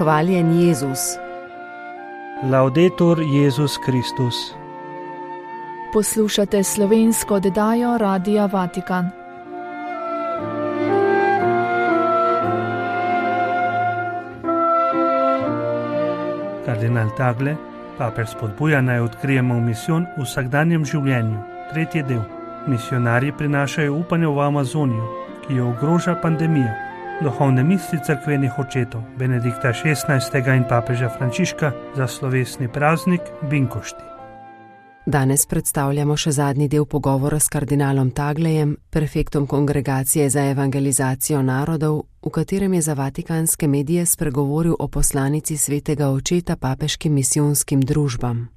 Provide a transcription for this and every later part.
Hvaljen Jezus. Laudetur Jezus Kristus. Poslušate slovensko oddajo Radia Vatikan. Kardinal Tagle, papež spodbuja naj odkrijemo misijon v vsakdanjem življenju. 3. del. Misionarji prinašajo upanje v Amazonijo, ki jo ogroža pandemija. Duhovne misli cerkvenih očetov Benedikta XVI. In papeža Frančiška za slovesni praznik Binkošti. Danes predstavljamo še zadnji del pogovora s kardinalom Taglejem, prefektom Kongregacije za evangelizacijo narodov, v katerem je za vatikanske medije spregovoril o poslanici svetega očeta papeškim misijonskim družbam.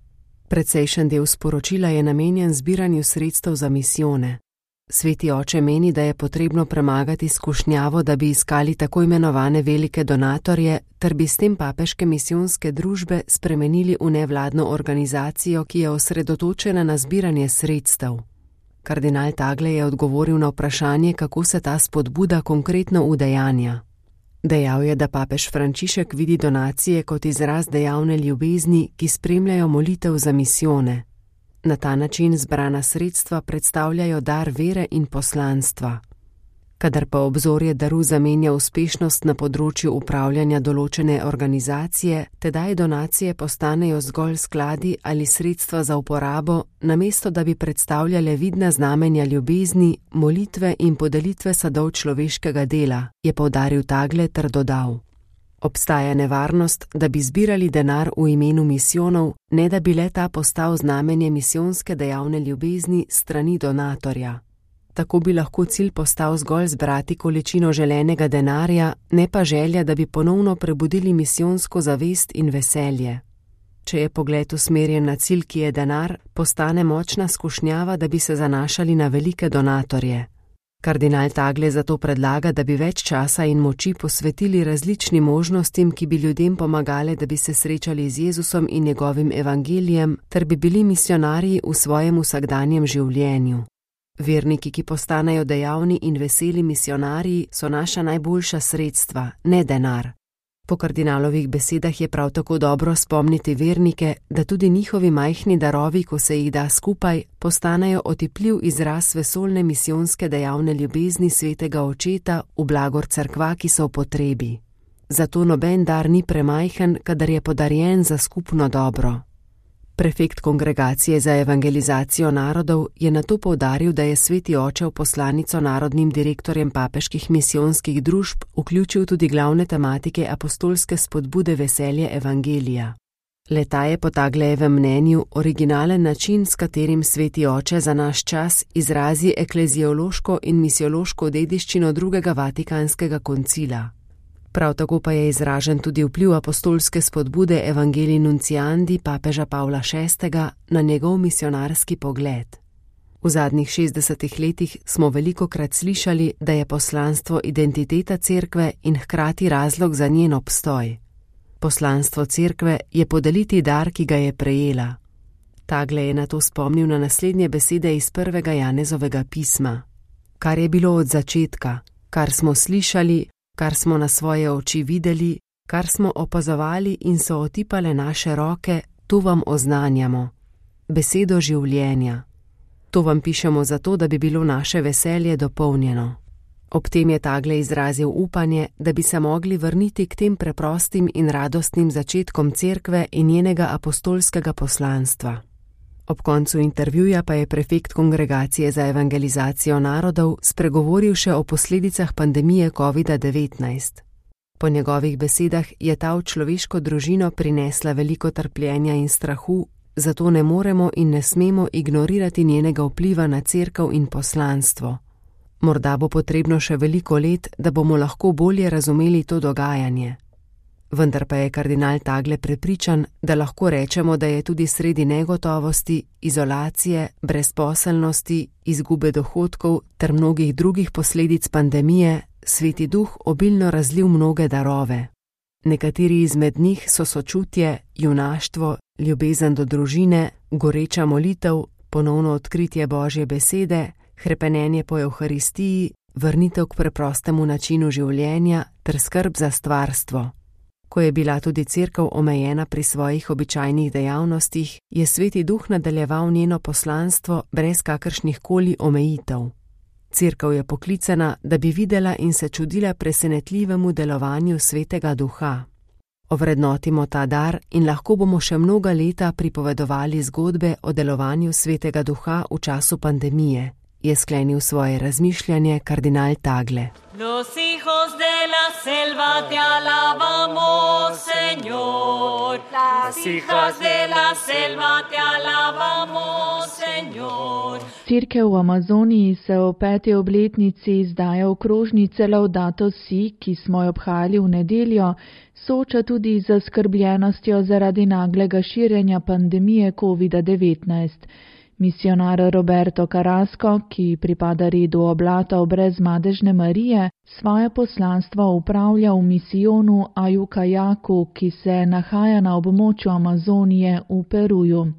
Predsejšen del sporočila je namenjen zbiranju sredstev za misijone. Sveti oče meni, da je potrebno premagati skušnjavo, da bi iskali tako imenovane velike donatorje, ter bi s tem papeške misijonske družbe spremenili v nevladno organizacijo, ki je osredotočena na zbiranje sredstev. Kardinal Tagle je odgovoril na vprašanje, kako se ta spodbuda konkretno udejanja. Dejal je, da papež Frančišek vidi donacije kot izraz dejavne ljubezni, ki spremljajo molitev za misijone. Na ta način zbrana sredstva predstavljajo dar vere in poslanstva. Kadar pa obzorje daru zamenja uspešnost na področju upravljanja določene organizacije, tedaj donacije postanejo zgolj skladi ali sredstva za uporabo, namesto da bi predstavljale vidna znamenja ljubezni, molitve in podelitve sadov človeškega dela, je poudaril Tagle ter dodal: obstaja nevarnost, da bi zbirali denar v imenu misijonov, ne da bi le ta postal znamenje misijonske dejavne ljubezni strani donatorja. Tako bi lahko cilj postal zgolj zbrati količino želenega denarja, ne pa želja, da bi ponovno prebudili misijonsko zavest in veselje. Če je pogled usmerjen na cilj, ki je denar, postane močna skušnjava, da bi se zanašali na velike donatorje. Kardinal Tagle zato predlaga, da bi več časa in moči posvetili različnim možnostim, ki bi ljudem pomagale, da bi se srečali z Jezusom in njegovim evangelijem, ter bi bili misionarji v svojem vsakdanjem življenju. Verniki, ki postanejo dejavni in veseli misionarji, so naša najboljša sredstva, ne denar. Po kardinalovih besedah je prav tako dobro spomniti vernike, da tudi njihovi majhni darovi, ko se jih da skupaj, postanejo otipljiv izraz vesoljne misijonske dejavne ljubezni svetega očeta v blagor cerkva, ki so v potrebi. Zato noben dar ni premajhen, kadar je podarjen za skupno dobro. Prefekt Kongregacije za evangelizacijo narodov je nato poudaril, da je sveti oče v poslanico narodnim direktorjem papeških misijonskih družb vključil tudi glavne tematike apostolske spodbude veselje evangelija. Le-ta je po Taglejevem mnenju originalen način, s katerim sveti oče za naš čas izrazi ekleziološko in misiološko dediščino drugega vatikanskega koncila. Prav tako pa je izražen tudi vpliv apostolske spodbude Evangelii Nunciandi papeža Pavla VI. Na njegov misionarski pogled. V zadnjih 60 letih smo velikokrat slišali, da je poslanstvo identiteta cerkve in hkrati razlog za njen obstoj. Poslanstvo cerkve je podeliti dar, ki ga je prejela. Tagle je nato spomnil na naslednje besede iz 1. Janezovega pisma. Kar je bilo od začetka, kar smo slišali, kar smo na svoje oči videli, kar smo opazovali in so otipale naše roke, to vam oznanjamo. Besedo življenja. To vam pišemo zato, da bi bilo naše veselje dopolnjeno. Ob tem je Tagle izrazil upanje, da bi se mogli vrniti k tem preprostim in radostnim začetkom cerkve in njenega apostolskega poslanstva. Ob koncu intervjuja pa je prefekt Kongregacije za evangelizacijo narodov spregovoril še o posledicah pandemije COVID-19. Po njegovih besedah je ta v človeško družino prinesla veliko trpljenja in strahu, zato ne moremo in ne smemo ignorirati njenega vpliva na cerkev in poslanstvo. Morda bo potrebno še veliko let, da bomo lahko bolje razumeli to dogajanje. Vendar pa je kardinal Tagle prepričan, da lahko rečemo, da je tudi sredi negotovosti, izolacije, brezposelnosti, izgube dohodkov ter mnogih drugih posledic pandemije Sveti Duh obilno razlil mnoge darove. Nekateri izmed njih so sočutje, junaštvo, ljubezen do družine, goreča molitev, ponovno odkritje Božje besede, hrepenenje po Evharistiji, vrnitev k preprostemu načinu življenja ter skrb za stvarstvo. Ko je bila tudi cerkev omejena pri svojih običajnih dejavnostih, je Sveti Duh nadaljeval njeno poslanstvo brez kakršnih koli omejitev. Cerkev je poklicana, da bi videla in se čudila presenetljivemu delovanju Svetega Duha. Ovrednotimo ta dar in lahko bomo še mnoga leta pripovedovali zgodbe o delovanju Svetega Duha v času pandemije, je sklenil svoje razmišljanje kardinal Tagle. Los hijos de la selva te alabamos, Señor. Las hijas de la selva te alabamos, Señor. Cerkev v Amazoniji se v 5. obletnici izdaje okrožnice Laudato Si, ki smo jo obhajali v nedeljo, sooča tudi z zaskrbljenostjo zaradi naglega širjenja pandemije COVID-19. Misionar Roberto Carrasco, ki pripada redu oblatov brezmadežne Marije, svoje poslanstvo upravlja v misijonu Ayucayacu, ki se nahaja na območju Amazonije v Peruju.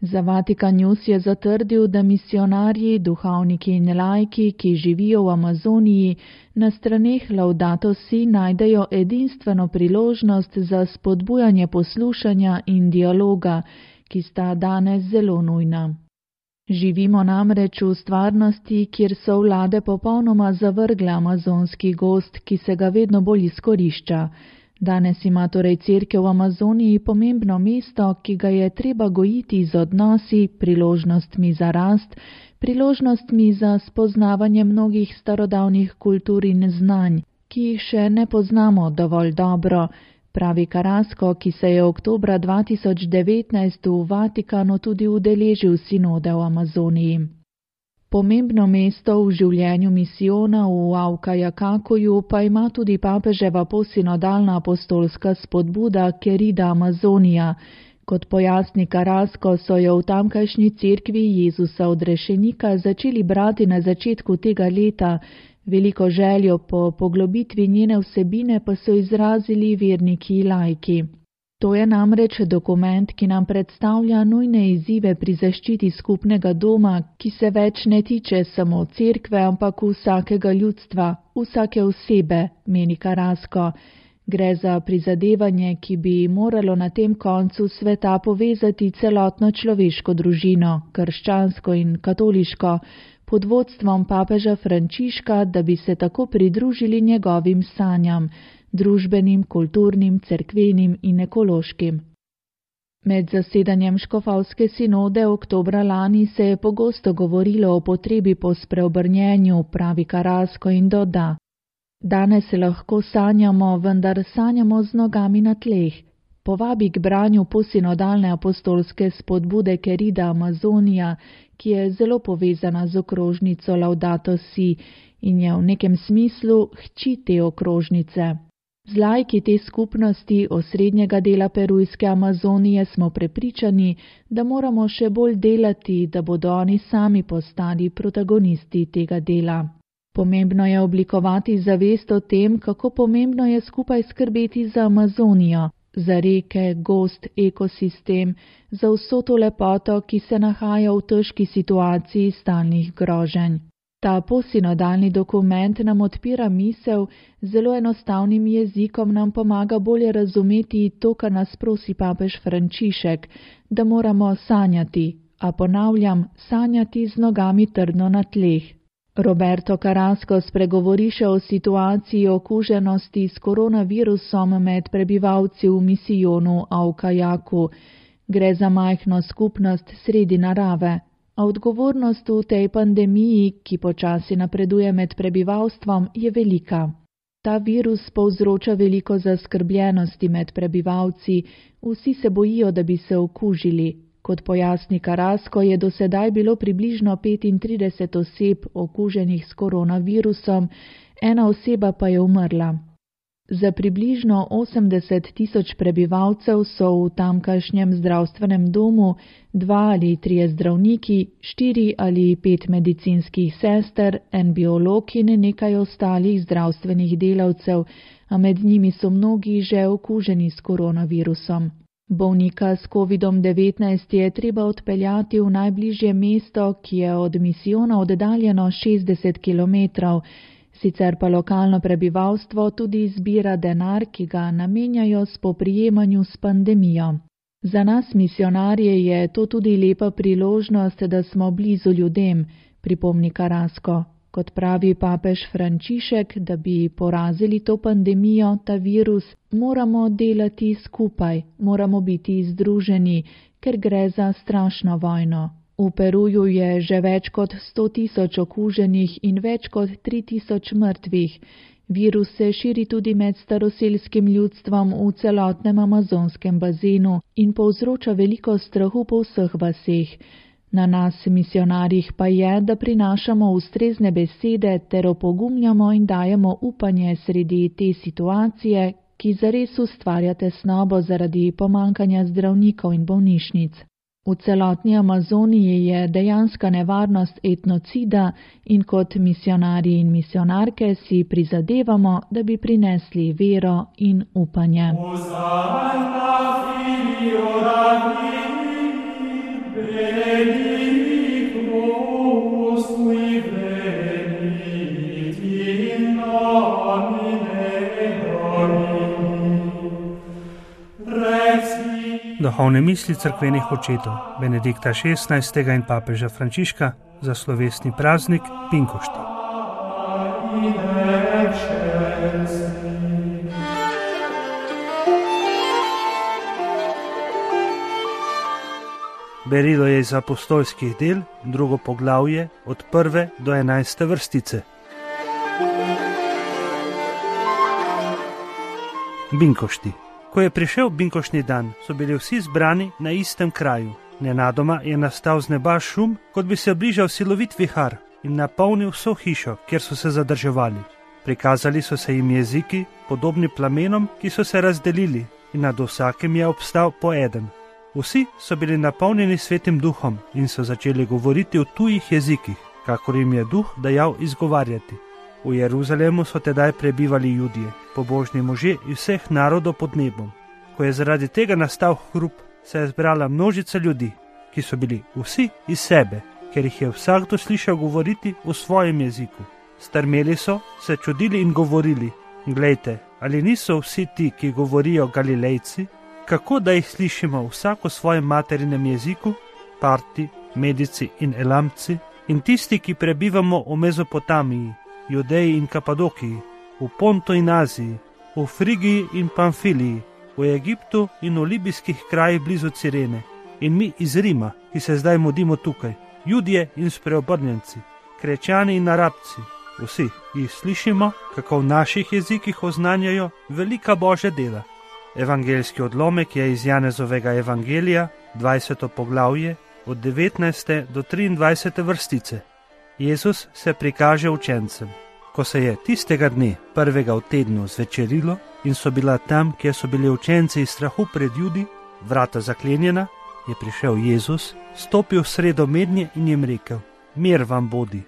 Za Vatikan News je zatrdil, da misionarji, duhovniki in laiki, ki živijo v Amazoniji, na straneh Laudato Si najdejo edinstveno priložnost za spodbujanje poslušanja in dialoga, ki sta danes zelo nujna. Živimo namreč v stvarnosti, kjer so vlade popolnoma zavrgle amazonski gozd, ki se ga vedno bolj izkorišča. Danes ima torej cerkev v Amazoniji pomembno mesto, ki ga je treba gojiti z odnosi, priložnostmi za rast, priložnostmi za spoznavanje mnogih starodavnih kultur in znanj, ki jih še ne poznamo dovolj dobro, pravi Carrasco, ki se je oktobra 2019 v Vatikanu tudi udeležil sinode v Amazoniji. Pomembno mesto v življenju misijona v Ayucayacu pa ima tudi papeževa posinodalna apostolska spodbuda Querida Amazonija. Kot pojasni Carrasco, so jo v tamkajšnji cerkvi Jezusa odrešenika začeli brati na začetku tega leta. Veliko željo po poglobitvi njene vsebine pa so izrazili verniki in laiki. To je namreč dokument, ki nam predstavlja nujne izzive pri zaščiti skupnega doma, ki se več ne tiče samo cerkve, ampak vsakega ljudstva, vsake osebe, meni Carrasco. Gre za prizadevanje, ki bi moralo na tem koncu sveta povezati celotno človeško družino, krščansko in katoliško, pod vodstvom papeža Frančiška, da bi se tako pridružili njegovim sanjam, družbenim, kulturnim, cerkvenim in ekološkim. Med zasedanjem škofovske sinode oktobra lani se je pogosto govorilo o potrebi po spreobrnjenju, pravi Carrasco in doda. Danes lahko sanjamo, vendar sanjamo z nogami na tleh. Povabi k branju posinodalne apostolske spodbude Querida Amazonija, ki je zelo povezana z okrožnico Laudato Si in je v nekem smislu hči te okrožnice. Z laiki te skupnosti osrednjega dela perujske Amazonije smo prepričani, da moramo še bolj delati, da bodo oni sami postali protagonisti tega dela. Pomembno je oblikovati zavest o tem, kako pomembno je skupaj skrbeti za Amazonijo, za reke, gozd, ekosistem, za vso to lepoto, ki se nahaja v težki situaciji stalnih groženj. Ta posinodalni dokument nam odpira misel, zelo enostavnim jezikom nam pomaga bolje razumeti to, kar nas prosi papež Frančišek, da moramo sanjati, a ponavljam, sanjati z nogami trdno na tleh. Roberto Carrasco spregovori še o situaciji okuženosti s koronavirusom med prebivalci v misijonu Ayucayacu. Gre za majhno skupnost sredi narave, a odgovornost v tej pandemiji, ki počasi napreduje med prebivalstvom, je velika. Ta virus povzroča veliko zaskrbljenosti med prebivalci, vsi se bojijo, da bi se okužili. Kot pojasni Carrasco, je do sedaj bilo približno 35 oseb okuženih s koronavirusom, ena oseba pa je umrla. Za približno 80.000 prebivalcev so v tamkajšnjem zdravstvenem domu 2 ali 3 zdravniki, 4 ali 5 medicinskih sester, en biolog in nekaj ostalih zdravstvenih delavcev, a med njimi so mnogi že okuženi s koronavirusom. Bolnika s COVID-19 je treba odpeljati v najbližje mesto, ki je od misijona oddaljeno 60 km. Sicer pa lokalno prebivalstvo tudi zbira denar, ki ga namenjajo spoprijemanju s pandemijo. Za nas misionarje je to tudi lepa priložnost, da smo blizu ljudem, pripomni Carrasco. Kot pravi papež Frančišek, da bi porazili to pandemijo, ta virus, moramo delati skupaj, moramo biti združeni, ker gre za strašno vojno. V Peruju je že več kot 100.000 okuženih in več kot 3.000 mrtvih. Virus se širi tudi med staroselskim ljudstvom v celotnem amazonskem bazenu in povzroča veliko strahu po vseh vaseh. Na nas, misionarjih, pa je, da prinašamo ustrezne besede ter opogumljamo in dajemo upanje sredi te situacije, ki zares ustvarja tesnobo zaradi pomankanja zdravnikov in bolnišnic. V celotni Amazoniji je dejanska nevarnost etnocida in kot misionarji in misionarke si prizadevamo, da bi prinesli vero in upanje. Duhovne misli cerkvenih očetov Benedikta XVI. In papeža Frančiška za slovesni praznik Pinkošti. Berilo je iz apostolskih del, 2. poglavje, od 1. do 11. vrstice. Binkošti. Ko je prišel binkoštni dan, so bili vsi zbrani na istem kraju. Nenadoma je nastal z neba šum, kot bi se bližal silovit vihar in napolnil vso hišo, kjer so se zadrževali. Prikazali so se jim jeziki, podobni plamenom, ki so se razdelili, in nad vsakim je obstal po eden. Vsi so bili napolnjeni Svetim Duhom in so začeli govoriti v tujih jezikih, kakor jim je Duh dajal izgovarjati. V Jeruzalemu so tedaj prebivali Judje, pobožni možje iz vseh narodov pod nebom. Ko je zaradi tega nastal hrup, se je zbrala množica ljudi, ki so bili vsi iz sebe, ker jih je vsakdo slišal govoriti v svojem jeziku. Strmeli so, se čudili in govorili: Glejte, ali niso vsi ti, ki govorijo, Galilejci? Kako da jih slišimo vsak v svojem materinem jeziku, Parti, Medici in Elamci, in tisti, ki prebivamo v Mezopotamiji, Judeji in Kapadokiji, v Pontu in Aziji, v Frigiji in Pamfiliji, v Egiptu in v libijskih krajih blizu Cirene, in mi iz Rima, ki se zdaj mudimo tukaj, Judje in spreobrnjenci, Krečani in Arabci, vsi jih slišimo, kako v naših jezikih oznanjajo velika Božja dela. Evangeljski odlomek je iz Janezovega evangelija, 20. poglavje, od 19. do 23. vrstice. Jezus se prikaže učencem. Ko se je tistega dne, prvega v tednu, zvečerilo in so bila tam, kjer so bili učenci iz strahu pred Judi, vrata zaklenjena, je prišel Jezus, stopil v sredo mednje in jim rekel: Mir vam bodi.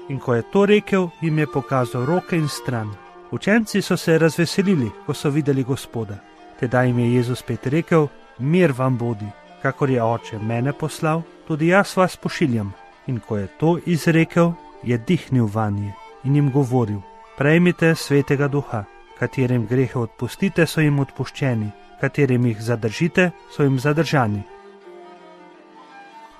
In ko je to rekel, jim je pokazal roke in stran. Učenci so se razveselili, ko so videli Gospoda. Tedaj jim je Jezus spet rekel: Mir vam bodi. Kakor je Oče mene poslal, tudi jaz vas pošiljam. In ko je to izrekel, je dihnil vanje in jim govoril: Prejmite Svetega Duha, katerim grehe odpustite, so jim odpuščeni, katerim jih zadržite, so jim zadržani.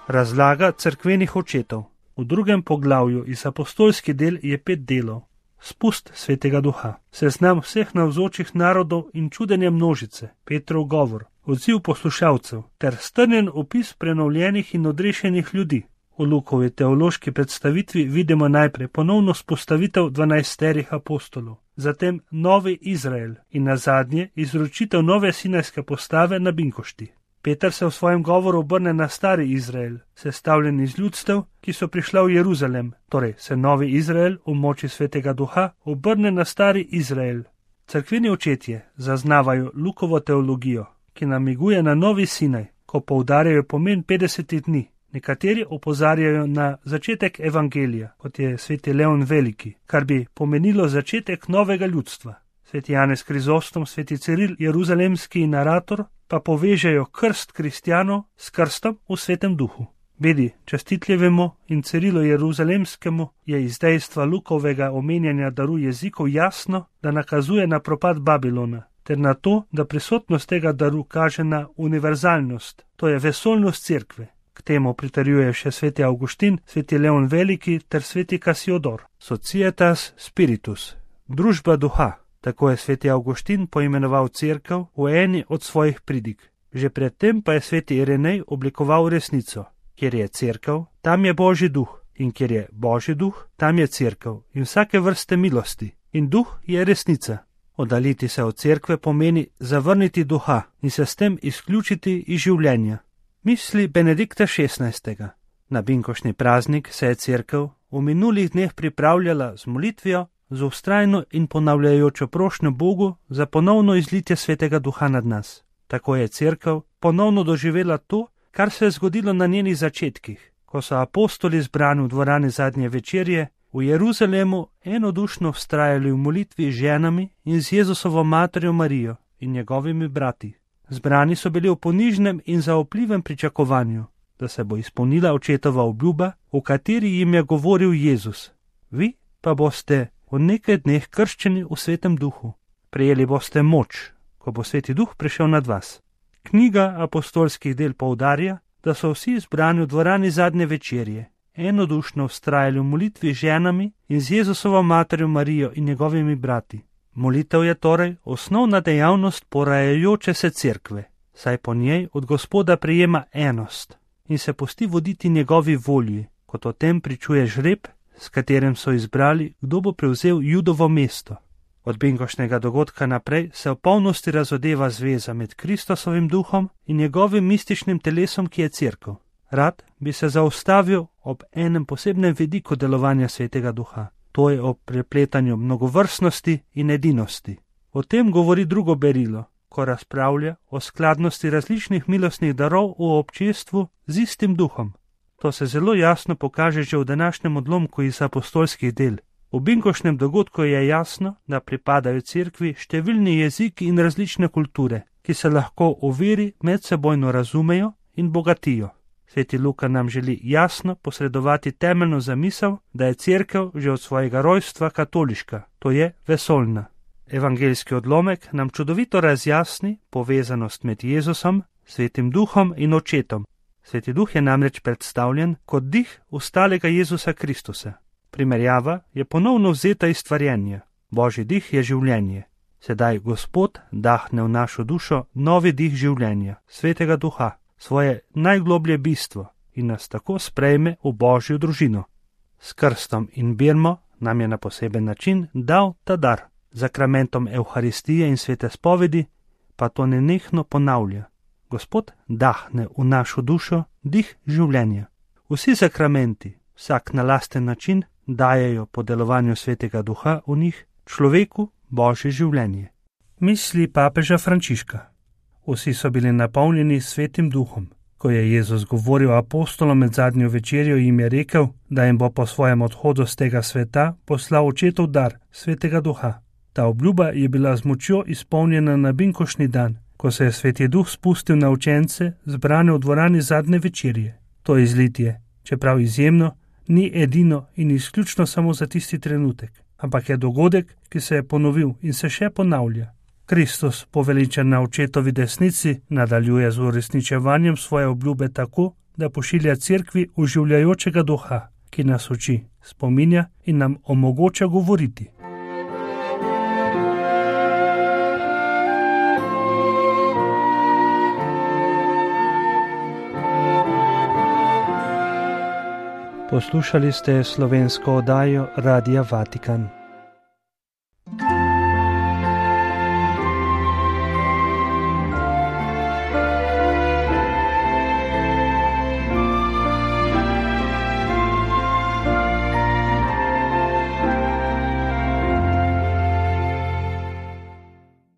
Razlaga cerkvenih očetov. V 2. poglavju iz apostolski del je 5 delov. Spust Svetega Duha, seznam vseh navzočih narodov in čudenja množice, Petrov govor, odziv poslušalcev ter strnjen opis prenovljenih in odrešenih ljudi. V Lukovi teološki predstavitvi vidimo najprej ponovno spostavitev 12 apostolov, zatem novi Izrael in nazadnje izročitev nove sinajske postave na Binkošti. Peter se v svojem govoru obrne na stari Izrael, sestavljen iz ljudstev, ki so prišla v Jeruzalem, torej se novi Izrael v moči Svetega Duha obrne na stari Izrael. Cerkveni očetje zaznavajo Lukovo teologijo, ki namiguje na novi Sinaj, ko poudarjajo pomen 50 dni. Nekateri opozarjajo na začetek evangelija, kot je sveti Leon Veliki, kar bi pomenilo začetek novega ljudstva. Sveti Janez Krizostom, sveti Ciril, jeruzalemski narator, pa povežejo krst kristjanov s krstom v Svetem Duhu. Vedi, častitljivemu in Cirilu Jeruzalemskemu je iz dejstva Lukovega omenjanja daru jezikov jasno, da nakazuje na propad Babilona, ter na to, da prisotnost tega daru kaže na univerzalnost, to je vesoljnost cerkve. K temu pritrjuje še sveti Avguštin, sveti Leon Veliki ter sveti Kasiodor. Societas spiritus, družba duha, tako je sveti Avguštin poimenoval cerkev v eni od svojih pridig. Že predtem pa je sveti Irenej oblikoval resnico. Kjer je cerkev, tam je Božji duh, in kjer je Božji duh, tam je cerkev in vsake vrste milosti. In duh je resnica. Oddaliti se od cerkve pomeni zavrniti duha in se s tem izključiti iz življenja. Misli Benedikta XVI. Na binkoštni praznik se je cerkev v minulih dneh pripravljala z molitvijo, z vztrajno in ponavljajočo prošnjo Bogu za ponovno izlitje svetega duha nad nas. Tako je cerkev ponovno doživela to, kar se je zgodilo na njenih začetkih, ko so apostoli zbrani v dvorani zadnje večerje v Jeruzalemu enodušno vztrajali v molitvi z ženami in z Jezusovo materjo Marijo in njegovimi brati. Zbrani so bili v ponižnem in zaupljivem pričakovanju, da se bo izpolnila očetova obljuba, v kateri jim je govoril Jezus. Vi pa boste v nekaj dneh krščeni v svetem duhu. Prejeli boste moč, ko bo sveti duh prišel nad vas. Knjiga apostolskih del poudarja, da so vsi zbrani v dvorani zadnje večerje enodušno vztrajali v molitvi z ženami in z Jezusovo materjo Marijo in njegovimi brati. Molitev je torej osnovna dejavnost porajajoče se cerkve, saj po njej od Gospoda prejema enost in se pusti voditi njegovi volji, kot o tem pričuje žreb, s katerim so izbrali, kdo bo prevzel Judovo mesto. Od binkoštnega dogodka naprej se v polnosti razodeva zveza med Kristusovim duhom in njegovim mističnim telesom, ki je cerkev. Rad bi se zaustavil ob enem posebnem vidiku delovanja svetega duha. To je o prepletanju mnogovrstnosti in edinosti. O tem govori drugo berilo, ko razpravlja o skladnosti različnih milostnih darov v občestvu z istim duhom. To se zelo jasno pokaže že v današnjem odlomku iz apostolskih del. V binkoštnem dogodku je jasno, da pripadajo cerkvi številni jeziki in različne kulture, ki se lahko v veri medsebojno razumejo in bogatijo. Sveti Luka nam želi jasno posredovati temeljno zamisel, da je cerkev že od svojega rojstva katoliška, to je vesoljna. Evangeljski odlomek nam čudovito razjasni povezanost med Jezusom, svetim duhom in očetom. Sveti duh je namreč predstavljen kot dih ustalega Jezusa Kristusa. Primerjava je ponovno vzeta iz stvarjenja. Božji dih je življenje. Sedaj Gospod dahne v našo dušo novi dih življenja, svetega duha, svoje najgloblje bistvo in nas tako sprejme v Božjo družino. S krstom in birmo nam je na poseben način dal ta dar. Zakramentom Evharistije in svete spovedi pa to nenehno ponavlja. Gospod dahne v našo dušo dih življenja. Vsi zakramenti, vsak na lasten način, dajejo po delovanju svetega duha v njih človeku Božje življenje. Misli papeža Frančiška. Vsi so bili napolnjeni svetim duhom. Ko je Jezus govoril apostolom med zadnjo večerjo, jim je rekel, da jim bo po svojem odhodu z tega sveta poslal očetov dar, svetega duha. Ta obljuba je bila z močjo izpolnjena na binkoštni dan, ko se je sveti duh spustil na učence, zbrane v dvorani zadnje večerje. To izlitje, čeprav izjemno, ni edino in izključno samo za tisti trenutek, ampak je dogodek, ki se je ponovil in se še ponavlja. Kristus, poveličen na očetovi desnici, nadaljuje z uresničevanjem svoje obljube tako, da pošilja cerkvi oživljajočega duha, ki nas uči, spominja in nam omogoča govoriti. Poslušali ste slovensko oddajo Radia Vatikan.